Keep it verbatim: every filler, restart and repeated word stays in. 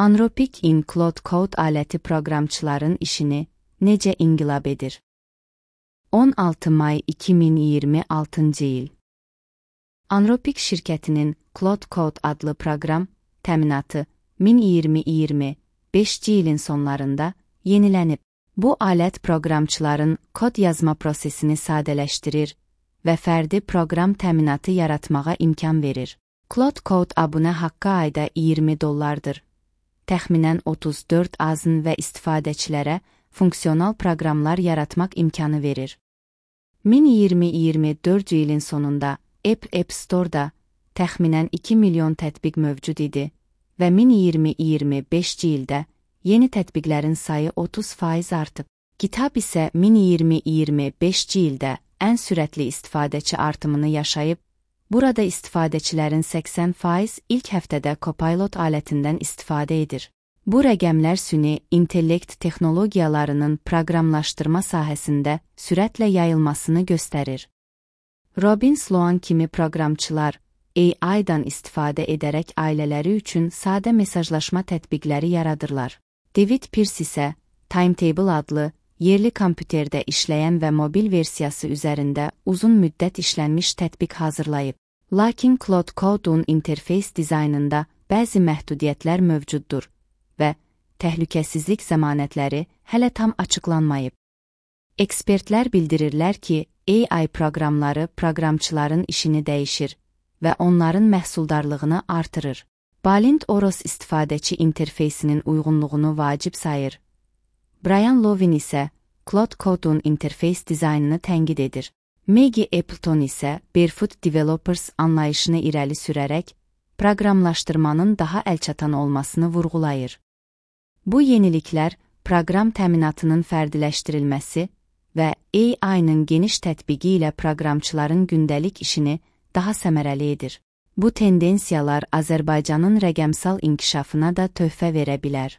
Anthropic in Claude Code aləti proqramçıların işini necə inqilab edir? on altı may iki min iyirmi altıncı il. Anthropic şirkətinin Claude Code adlı proqram təminatı min iyirmi iyirmi beşinci ilin sonlarında yenilənib. Bu alət proqramçıların kod yazma prosesini sadələşdirir və fərdi proqram təminatı yaratmağa imkan verir. Claude Code abunə haqqı ayda iyirmi dollardır. Təxminən otuz dörd azın və istifadəçilərə funksional proqramlar yaratmaq imkanı verir. min iyirmi iyirmi dördüncü ilin sonunda App App Store-da təxminən iki milyon tətbiq mövcud idi və min iyirmi iyirmi beşinci ildə yeni tətbiqlərin sayı otuz faiz artıb. GitHub isə min iyirmi iyirmi beşinci ildə ən sürətli istifadəçi artımını yaşayıb, burada istifadəçilərin səksən faiz ilk həftədə Copilot alətindən istifadə edir. Bu rəqəmlər süni intellekt texnologiyalarının proqramlaşdırma sahəsində sürətlə yayılmasını göstərir. Robin Sloan kimi proqramçılar A I-dan istifadə edərək ailələri üçün sadə mesajlaşma tətbiqləri yaradırlar. David Pierce isə Timetable adlı yerli kompüterdə işləyən və mobil versiyası üzərində uzun müddət işlənmiş tətbiq hazırlayıb. Lakin Claude Code'un interfeys dizaynında bəzi məhdudiyyətlər mövcuddur və təhlükəsizlik zəmanətləri hələ tam açıqlanmayıb. Ekspertlər bildirirlər ki, A I proqramları proqramçıların işini dəyişir və onların məhsuldarlığını artırır. Balint Oros istifadəçi interfeysinin uyğunluğunu vacib sayır. Brian Lovin isə Claude Code'un interfeys dizaynını tənqid edir. Maggie Appleton isə Barefoot Developers anlayışını irəli sürərək proqramlaşdırmanın daha əlçatan olmasını vurğulayır. Bu yeniliklər proqram təminatının fərdiləşdirilməsi və A I-nın geniş tətbiqi ilə proqramçıların gündəlik işini daha səmərəli edir. Bu tendensiyalar Azərbaycanın rəqəmsal inkişafına da töhfə verə bilər.